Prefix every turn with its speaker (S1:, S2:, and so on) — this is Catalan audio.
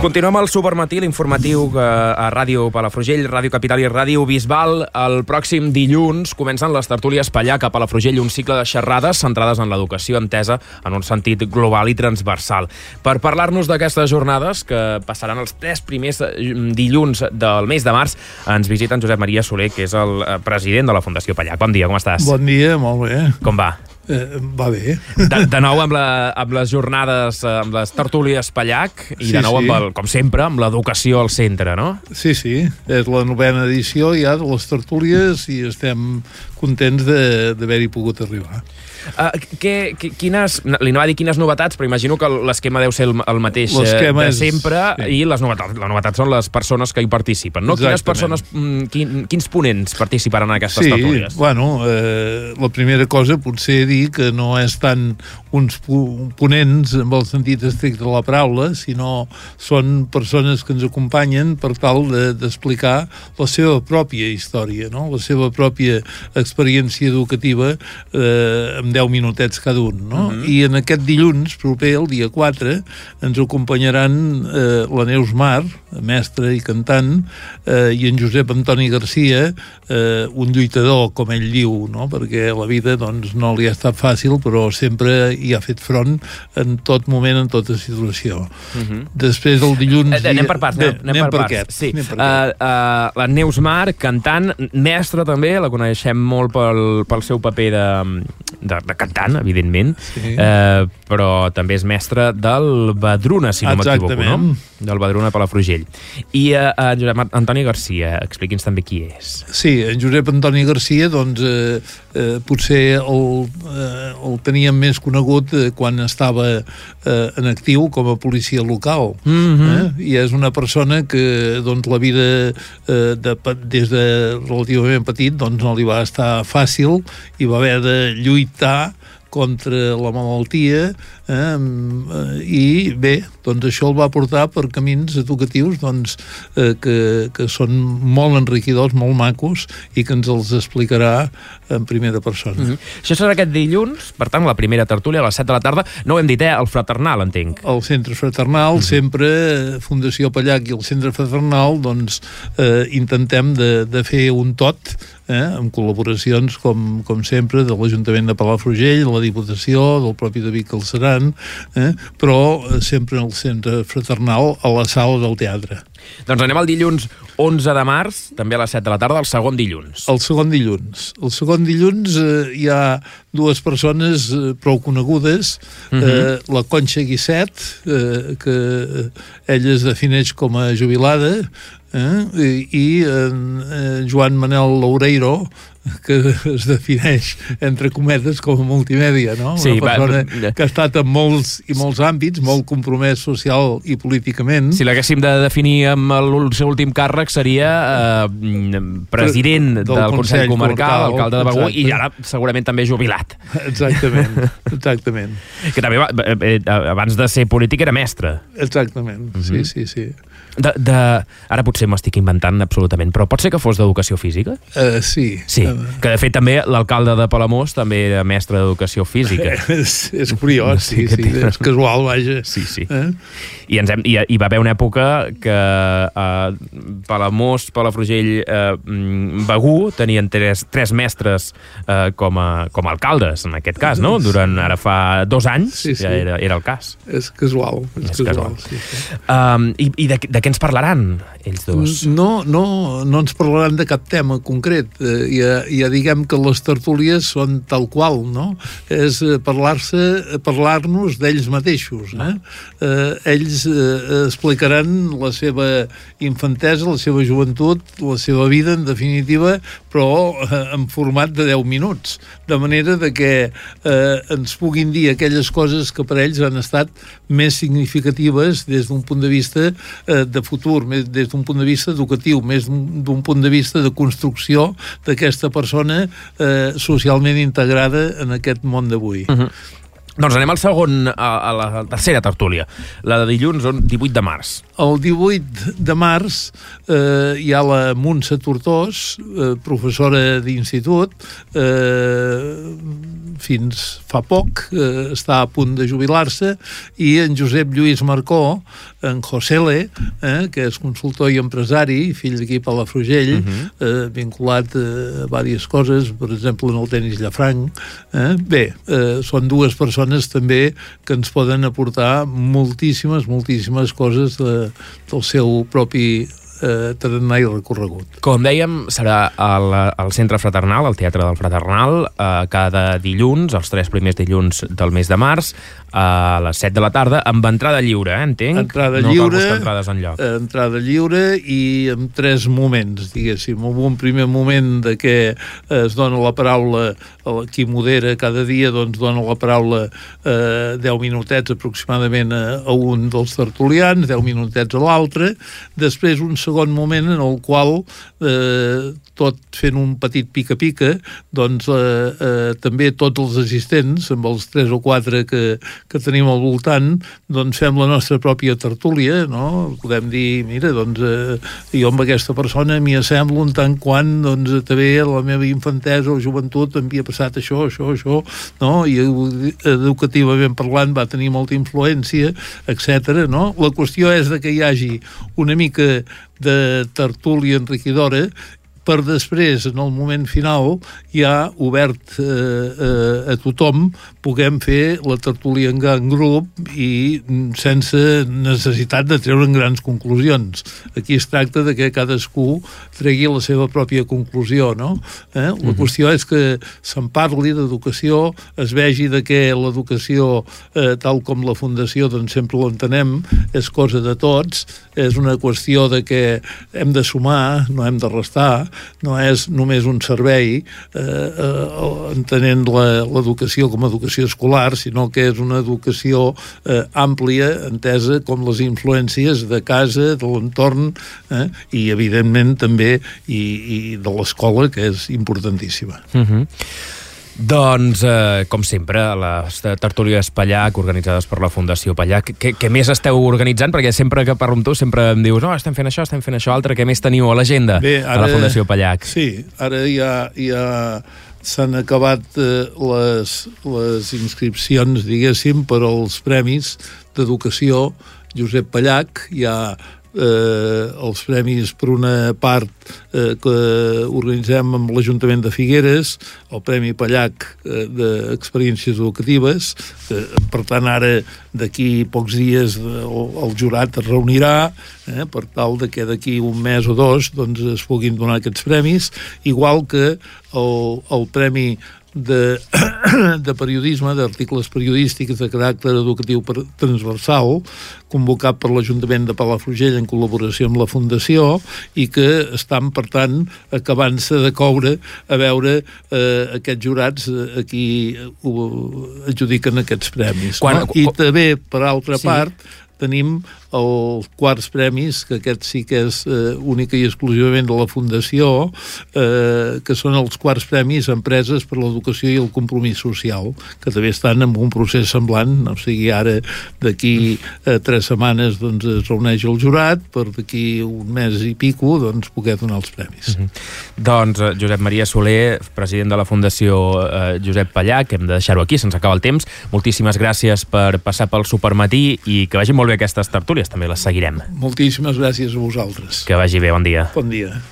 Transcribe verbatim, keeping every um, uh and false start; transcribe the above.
S1: Continuem al Supermatí, l'informatiu a Ràdio Palafrugell, Ràdio Capital i Ràdio Bisbal. El pròxim dilluns comencen les tertúlies Pallac a Palafrugell, un cicle de xerrades centrades en l'educació entesa en un sentit global i transversal. Per parlar-nos d'aquestes jornades, que passaran els tres primers dilluns del mes de març, ens visita en Josep Maria Soler, que és el president de la Fundació Pallac. Bon dia, com estàs?
S2: Bon dia, molt bé.
S1: Com va?
S2: Eh, va bé.
S1: De, de nou amb, la, amb les jornades, amb les tertúlies Pallac, i
S2: sí,
S1: de nou,
S2: sí.
S1: amb el, com sempre, amb l'educació al centre, no?
S2: Sí, sí, és la novena edició ja de les tertúlies i estem contents d'haver-hi pogut arribar.
S1: Uh, que, que, quines, li anava a dir quines novetats, però imagino que l'esquema deu ser el, el mateix de
S2: és,
S1: sempre,
S2: sí.
S1: I les novetats, la novetat són les persones que hi participen, no? Quines persones, quin, quins ponents participaran en aquestes
S2: sí,
S1: tertúlies?
S2: Sí, bueno, eh, la primera cosa potser dir que no és tant uns ponents amb el sentit estricte de la paraula, sinó són persones que ens acompanyen per tal d'explicar de, la seva pròpia història, no? La seva pròpia experiència educativa eh, amb deu minutets cada un, no? Uh-huh. I en aquest dilluns proper, el dia quatre, ens acompanyaran eh, la Neus Mar, mestra i cantant, eh, i en Josep Antoni Garcia, eh, un lluitador, com ell diu, no? Perquè la vida doncs, no li ha estat fàcil, però sempre hi ha fet front en tot moment, en tota situació. Uh-huh. Després del dilluns...
S1: Eh, anem per parts, anem, anem, anem per, per parts. Aquest, sí. per uh, uh, la Neus Mar, cantant, mestra també, la coneixem molt pel, pel seu paper de, de, de cantant, evidentment, sí. uh, però també és mestra del Badruna, si no m'equivoco, no? Del Badruna Palafrugell. I uh, uh, Josep Antoni Garcia, expliqui'ns també qui és.
S2: Sí, en Josep Antoni Garcia, doncs, eh, eh, potser el, eh, el teníem més conegut eh, quan estava eh, en actiu com a policia local. Mm-hmm. eh? I és una persona que doncs, la vida eh, de, des de relativament petit doncs, no li va estar fàcil i va haver de lluitar contra la malaltia eh, i bé, doncs això el va portar per camins educatius doncs, eh, que, que són molt enriquidors, molt macos i que ens els explicarà en primera persona.
S1: Mm-hmm. Això serà aquest dilluns, per tant, la primera tertúlia a les set de la tarda. No ho hem dit, eh? El Fraternal, entenc.
S2: El Centre Fraternal, mm-hmm. sempre Fundació Pallac i el Centre Fraternal doncs eh, intentem de, de fer un tot eh, amb col·laboracions com, com sempre de l'Ajuntament de Palafrugell, la Diputació, del propi David Calceran, eh, però sempre en el Centre Fraternal a la sala del teatre.
S1: Doncs anem al dilluns onze de març, també a les set de la tarda, el segon dilluns.
S2: El segon dilluns. El segon dilluns eh, hi ha dues persones eh, prou conegudes, uh-huh. eh, la Conxa Guisset, eh, que ella es defineix com a jubilada, eh, i, i eh, Joan Manel Loureiro, que es defineix, entre cometes, com a multimèdia, no?
S1: Sí,
S2: una persona
S1: va,
S2: que ha estat en molts i molts àmbits, molt compromès social i políticament.
S1: Si l'haguéssim de definir amb el seu últim càrrec seria eh, president del, del Consell, Consell Comarcal, alcalde de Begur, i ara segurament també jubilat.
S2: Exactament, exactament.
S1: Que també va, eh, abans de ser polític era mestre.
S2: Exactament, uh-huh. sí, sí, sí.
S1: De, de, ara potser m'estic inventant absolutament, però pot ser que fos d'educació física?
S2: Uh, sí.
S1: Sí, que de fet també l'alcalde de Palamós també era mestre d'educació física.
S2: és, és curiós, sí, sí, sí, és casual, vaja.
S1: Sí, sí. Eh? I, ens hem, i hi va haver una època que uh, Palamós, Palafrugell, uh, Begur tenien tres, tres mestres uh, com, a, com a alcaldes, en aquest cas, no? Durant ara fa dos anys sí, sí. ja era, era el cas.
S2: És casual. És, és casual. casual. Sí, sí. Um,
S1: I i de, de què ens parlaran, ells dos?
S2: No, no, no ens parlaran de cap tema concret. Eh, ja, ja diguem que les tertúlies són tal qual, no? És parlar-se, parlar-nos d'ells mateixos. Eh? Eh, ells eh, explicaran la seva infantesa, la seva joventut, la seva vida, en definitiva, però eh, en format de deu minuts. De manera de que eh, ens puguin dir aquelles coses que per ells han estat més significatives des d'un punt de vista eh, de futur, més des d'un punt de vista educatiu, més d'un punt de vista de construcció d'aquesta persona eh, socialment integrada en aquest món d'avui.
S1: Uh-huh. Doncs anem al segon, a, a la tercera tertúlia, la de dilluns, divuit de març.
S2: El divuit de març eh, hi ha la Montse Tortós, eh, professora d'institut, eh, fins fa poc, eh, està a punt de jubilar-se, i en Josep Lluís Marcó, en Josele, eh, que és consultor i empresari, fill d'aquí a Palafrugell, uh-huh. eh, vinculat a diverses coses, per exemple en el tenis llafranc. Eh? Bé, eh, són dues persones també que ens poden aportar moltíssimes, moltíssimes coses de, del seu propi eh, tarannà i recorregut.
S1: Com dèiem, serà al, al Centre Fraternal, al Teatre del Fraternal, eh, cada dilluns, els tres primers dilluns del mes de març, a les set de la tarda, amb entrada lliure, eh, entenc?
S2: Entrada
S1: no
S2: lliure,
S1: cal buscar entrades enlloc.
S2: Entrada lliure i amb tres moments, diguéssim. Amb un primer moment de què es dona la paraula, qui modera cada dia, doncs dona la paraula eh, deu minutets aproximadament a, a un dels tertulians, deu minutets a l'altre, després un segon moment en el qual eh, tot fent un petit pica-pica, doncs eh, eh, també tots els assistents, amb els tres o quatre que que tenim al voltant, doncs fem la nostra pròpia tertúlia, no? Podem dir, mira, doncs eh, jo amb aquesta persona m'hi assemblo en tant quan, doncs, també a la meva infantesa o joventut m'havia passat això, això, això, no? I educativament parlant va tenir molta influència, etcètera, no? La qüestió és de que hi hagi una mica de tertúlia enriquidora per després, en el moment final, ja obert eh, eh, a tothom, puguem fer la tertúlia en gran grup i sense necessitat de treure grans conclusions. Aquí es tracta de que cadascú tregui la seva pròpia conclusió, no? Eh? La qüestió és que se'n parli d'educació, es vegi de que l'educació, eh, tal com la Fundació doncs sempre l'entenem, és cosa de tots, és una qüestió de que hem de sumar, no hem de restar, no és només un servei eh, eh, entenent l'educació com a educació escolar, sinó que és una educació eh, àmplia, entesa com les influències de casa, de l'entorn, eh, i evidentment també i, i de l'escola, que és importantíssima.
S1: Uh-huh. Doncs, eh, com sempre, les tertúlies Pallac, organitzades per la Fundació Pallac, què, què més esteu organitzant? Perquè sempre que parlo amb tu sempre em dius no, estem fent això, estem fent això altre, què més teniu a l'agenda de la Fundació Pallac?
S2: Sí, ara ja, ja s'han acabat eh, les, les inscripcions, diguéssim, per als premis d'educació Josep Pallac. Hi ha eh, els premis, per una part, eh, que organitzem amb l'Ajuntament de Figueres, el Premi Pallac eh, d'Experiències Educatives, eh, per tant ara d'aquí pocs dies el, el jurat es reunirà eh, per tal de que d'aquí un mes o dos doncs, es puguin donar aquests premis, igual que el, el Premi de, de periodisme, d'articles periodístics de caràcter educatiu transversal, convocat per l'Ajuntament de Palafrugell en col·laboració amb la Fundació, i que estan, per tant, acabant-se de coure a veure eh, aquests jurats a qui adjudiquen aquests premis. Quan, no? I també, per altra sí. part, tenim els quarts premis, que aquest sí que és eh, única i exclusivament de la Fundació, eh, que són els quarts premis Empreses per l'Educació i el Compromís Social, que també estan en un procés semblant, o sigui, ara d'aquí eh, tres setmanes doncs, es reuneix el jurat, per d'aquí un mes i pico doncs, poder donar els premis.
S1: Mm-hmm. Doncs Josep Maria Soler, president de la Fundació eh, Josep Pallac, hem de deixar-ho aquí, se'ns acaba el temps. Moltíssimes gràcies per passar pel Supermatí i que vagin molt bé aquestes tertúlies, també les seguirem.
S2: Moltíssimes gràcies a vosaltres.
S1: Que vagi bé, bon dia.
S2: Bon dia.